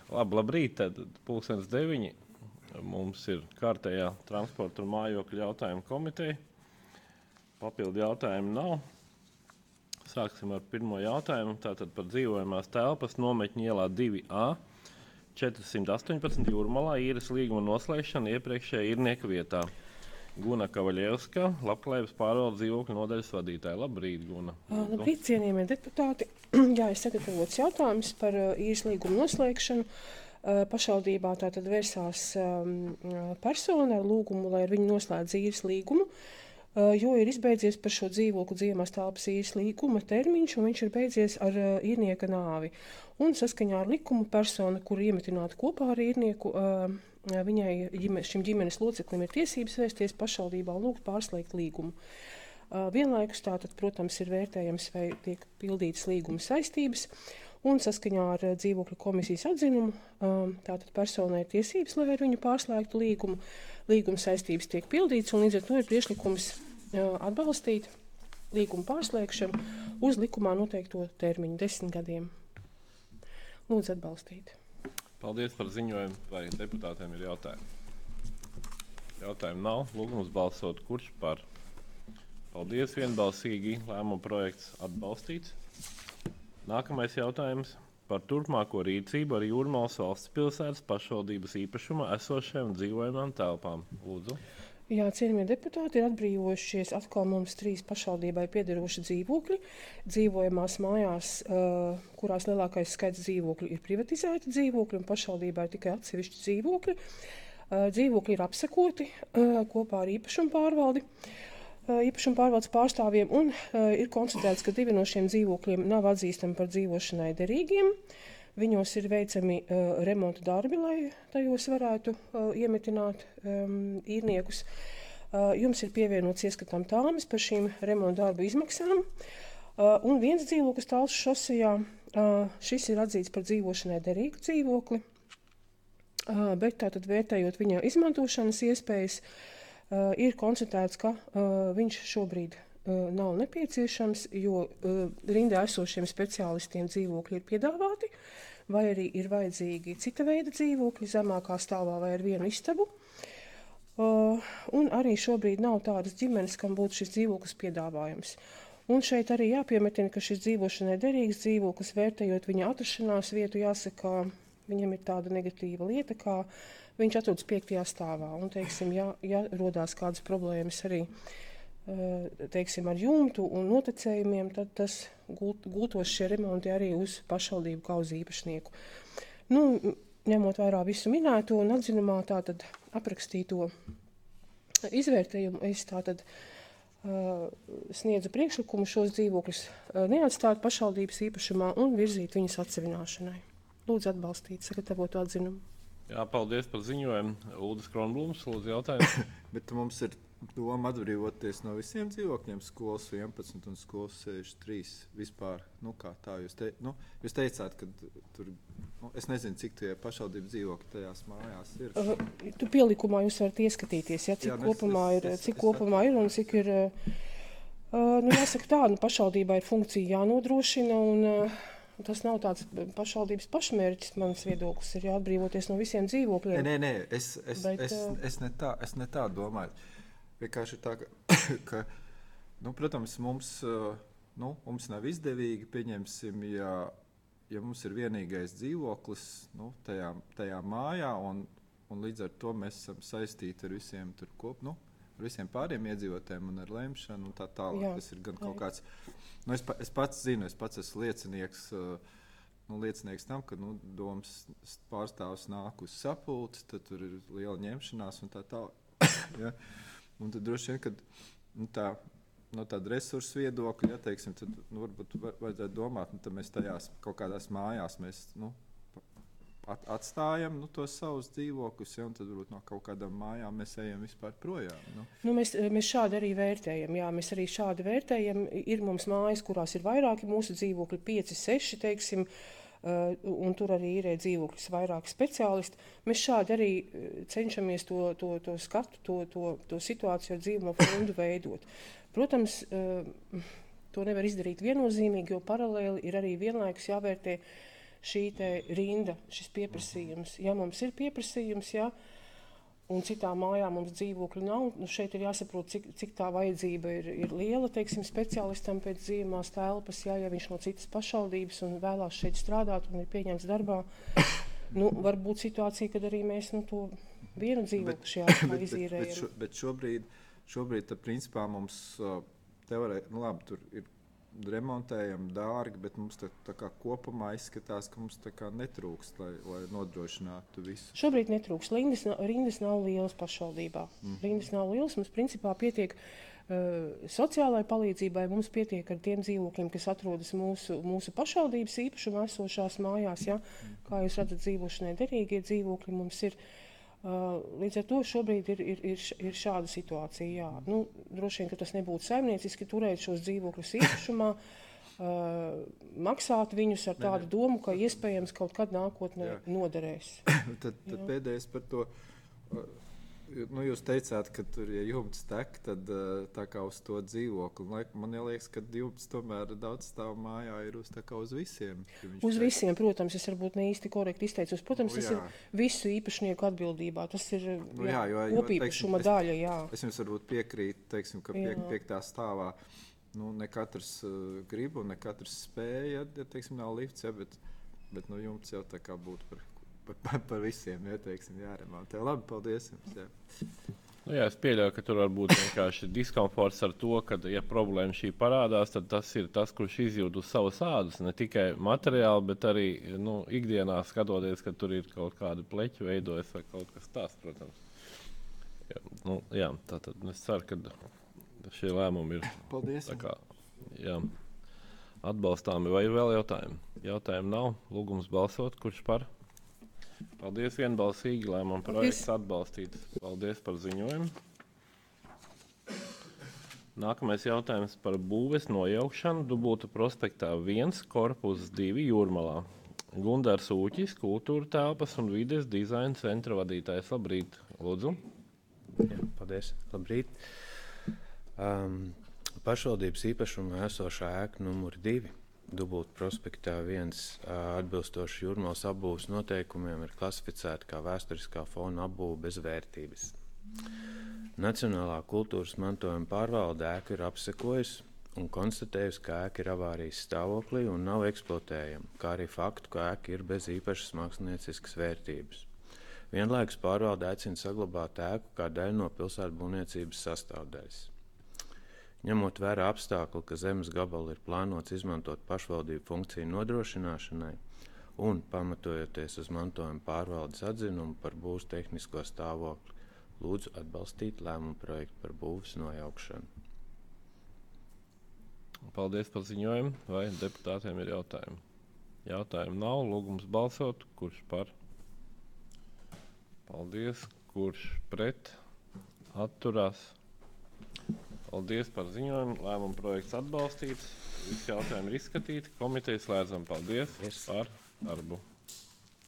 Labrīt, tad 8:30. Mums ir kārtējā transporta un mājokļu jautājumu komiteja. Papildu jautājumu nav. Sāksim ar pirmo jautājumu. Tātad par dzīvojamās telpas Nometņu ielā 2A 418 Jūrmalā īres līguma noslēgšanu iepriekšējā īrnieka vietā. Guna Kavaļevska, Labklājības pārvaldes dzīvokļu nodaļas vadītāja. Labrīt, Guna. Labrīt, cienījamie deputāti. Jā, ir sagatavots jautājums par īres līguma noslēgšanu. Pašvaldībā tātad vērsās persona ar lūgumu, lai ar viņu noslēdz īres līgumu, jo ir izbeidzies par šo dzīvokļu dzīvojamās telpas īres līguma termiņš, un viņš ir beidzies ar īrnieka nāvi. Un saskaņā ar likumu persona, kur iemetināta kopā ar īrnieku, šim ģimenes loceklim ir tiesības vērsties pašvaldībā un lūgt pārslēgt līgumu. Vienlaikus tātad, protams, ir vērtējams, vai tiek pildītas līguma saistības, un saskaņā ar dzīvokļu komisijas atzinumu tātad personai ir tiesības, lai ar viņu pārslēgtu līgumu. Līguma saistības tiek pildītas, un līdz ar to ir priekšlikums atbalstīt līguma pārslēgšanu uz likumā noteikto termiņu 10 gadiem. Lūdzu atbalstīt. Paldies par ziņojumu. Vai deputātiem ir jautājumi? Jautājumu nav. Lūgums balsot. Kurš par? Paldies. Vienbalsīgi lēmuma projekts atbalstīts. Nākamais jautājums par turpmāko rīcību ar Jūrmalas valsts pilsētas pašvaldības īpašumā esošajām dzīvojamām telpām. Lūdzu. Jā, cienījamie deputāti, ir atbrīvojušies atkal mums 3 pašvaldībai piederoši dzīvokļi. Dzīvojamās mājās, kurās lielākais skaits dzīvokļu ir privatizēti dzīvokļi, un pašvaldībā ir tikai atsevišķi dzīvokļi. Dzīvokļi ir apsekoti kopā ar īpašumu pārvaldi. Īpašuma pārvaldes pārstāvjiem, un ir konstatēts, ka 2 no šiem dzīvokļiem nav atzīstami par dzīvošanai derīgiem. Viņos ir veicami remonta darbi, lai tajos varētu iemetināt īrniekus. Jums ir pievienots ieskatām tāmes par šīm remonta darbu izmaksām. Un viens dzīvoklis Talsu šosejā, šis ir atzīts par dzīvošanai derīgu dzīvokli, bet tātad vērtējot viņa izmantošanas iespējas, ir konstatēts, ka viņš šobrīd nav nepieciešams, jo rindā esošiem speciālistiem dzīvokļi ir piedāvāti, vai arī ir vajadzīgi cita veida dzīvokļi, zemākā stāvā vai ar vienu istabu. Un arī šobrīd nav tādas ģimenes, kam būtu šis dzīvoklis piedāvājums. Un šeit arī jāpiemetina, ka šis dzīvošanai derīgs dzīvoklis, vērtējot viņa atrašanās vietu, jāsaka, viņam ir tāda negatīva lieta, kā viņš atrodas 5. stāvā. Un, teiksim, ja rodās kādas problēmas arī teiksim, ar jumtu un notekējumiem, tad tas gultos šie remonti arī uz pašvaldību kā uz īpašnieku. Nu, ņemot vērā visu minēto un atzinumā tātad aprakstīto izvērtējumu, es tātad sniedzu priekšlikumu šos dzīvokļus neatstāt pašvaldības īpašumā un virzīt viņas atsevināšanai. Lūdzu atbalstīt sagatavotu atzinumu. Jā, paldies par ziņojumu. Uldis Kronblums, lūdzu jautājumu. Bet mums ir doma atbrīvoties no visiem dzīvokļiem, skolas 11 un skolas 63 vispār. Nu kā tā, jūs teicāt, ka tur, es nezinu, cik tie pašvaldību dzīvokļi tajās mājās ir. Tu pielikumā jūs varat ieskatīties, ja, cik kopumā ir un cik ir, jāsaka tā, pašvaldībā ir funkcija jānodrošina un tas nav tāds pašvaldības pašmērķis, mans viedoklis ir jāatbrīvoties no visiem dzīvokļiem. Nē, es ne tā domāju. Vienkārši ir tā, ka protams, mums nav izdevīgi, pieņemsim, ja mums ir vienīgais dzīvoklis tajā mājā, un līdz ar to mēs esam saistīti ar visiem tur ar visiem pāriem iedzīvotājiem un ar lemšanu un tā tālāk. Jā, tas ir gan kaut kāds, es pats zinu, es pats esmu liecinieks tam, ka domas pārstāvs nāk uz sapulci, tad tur ir liela ņemšanās un tā tālāk. Ja? Un tad droši vien, kad no tāda resursu viedokļa, ja, teiksim, tad varbūt vajadzētu domāt, tad mēs tajās kaut kādās mājās mēs atstājam tos savus dzīvokļus, ja, un tad varbūt no kaut kādām mājām mēs ejam vispār projām. Mēs šādi arī vērtējam. Jā, mēs arī šādi vērtējam. Ir mums mājas, kurās ir vairāki mūsu dzīvokļi, 5, 6, teiksim, un tur arī ir dzīvokļus vairāki speciālisti. Mēs šādi arī cenšamies to skatu, to situāciju ar dzīvumu fondu veidot. Protams, to nevar izdarīt viennozīmīgi, jo paralēli ir arī vienlaikus jāvērtē šī te rinda, šis pieprasījums. Ja mums ir pieprasījums, ja, un citā mājā mums dzīvokļu nav, nu šeit ir jāsaprot, cik tā vajadzība ir liela, teiksim, speciālistam pēc dzīvamās telpas, ja viņš no citas pašvaldības un vēlās šeit strādāt un ir pieņemts darbā. Nu, var būt situācija, kad arī mēs to vienu dzīvokli šajā izīrējam. Bet šobrīd principā mums nu labi, tur ir remontējam dārgi, bet mums tā kā kopumā izskatās, ka mums tā kā netrūkst, lai nodrošinātu visu. Šobrīd netrūkst. Rindas nav lielas pašvaldībā. Rindas nav lielas, mums principā pietiek sociālai palīdzībai, mums pietiek ar tiem dzīvokļiem, kas atrodas mūsu pašvaldības īpašumā esošās mājās. Ja? Kā jūs redzat, dzīvošanai derīgie dzīvokļi mums ir. Līdz ar to šobrīd ir šāda situācija. Jā. Nu, droši vien, ka tas nebūtu saimnieciski turēt šos dzīvokļus īpašumā, maksāt viņus ar tādu domu, ka iespējams kaut kad nākotnē noderēs. Tad pēdējais par to. Nu, jūs teicāt, ka tur, ja jumts tek, tad tā kā uz to dzīvokli. Man liekas, ka jumts tomēr daudz stāv mājā ir uz visiem. Uz visiem, protams, es varbūt ne īsti korekti izteicos. Protams, tas ir visu īpašnieku atbildībā. Tas ir kopīpašuma daļa. Jā. Es jums varbūt piekrītu, teiksim, ka piektā stāvā ne katrs grib un ne katrs spēja, ja teiksim, nav lifts, ja, bet jumts jau tā kā būtu par visiem, ja, teiksim, jāremontē. Labi, paldies jums. Jā. Nu jā, es pieļauju, ka tur var būt vienkārši diskomforts ar to, ka, ja problēma šī parādās, tad tas ir tas, kurš izjūt uz savas ādas, ne tikai materiāli, bet arī ikdienā skatoties, ka tur ir kaut kāda pleķa veidojas vai kaut kas tāds, protams. Jā, tātad es ceru, ka šie lēmumi ir tā kā, jā, atbalstāmi. Vai ir vēl jautājumi? Jautājumu nav. Lūgums balsot. Kurš par? Paldies vienbalsīgi, lēmuma projekts atbalstīts. Paldies par ziņojumu. Nākamais jautājums par būves nojaukšanu Dubultu prospektā 1, korpus 2 Jūrmalā. Gundars Ūķis, kultūra telpas un vides dizaina centra vadītājs. Labrīt, lūdzu. Jā, paldies, labrīt. Pašvaldības īpašumā esošā ēka numur 2. Dubultu prospektā 1 atbilstoši Jūrmalas apbūves noteikumiem ir klasificēta kā vēsturiskā fona apbūve bez vērtības. Nacionālā kultūras mantojuma pārvalde ēku ir apsekojusi un konstatējusi, ka ēka ir avārijas stāvoklī un nav eksploatējama, kā arī faktu, ka ēka ir bez īpašas mākslinieciskas vērtības. Vienlaikus pārvalde aicina saglabāt ēku kā daļu no pilsētbūvniecības sastāvdaļas. Ņemot vērā apstākli, ka zemes gabalu ir plānots izmantot pašvaldību funkciju nodrošināšanai un pamatojoties uz mantojuma pārvaldes atzinumu par būvs tehnisko stāvokli, lūdzu atbalstīt lēmumu projektu par būvs nojaukšanu. Paldies par ziņojumu. Vai deputātiem ir jautājumi? Jautājumu nav. Lūgums balsot. Kurš par? Paldies. Kurš pret? Atturās. Paldies par ziņojumu. Lēmuma projekts atbalstīts. Visi jautājumi ir izskatīti. Komiteja slēdzam. Paldies par darbu.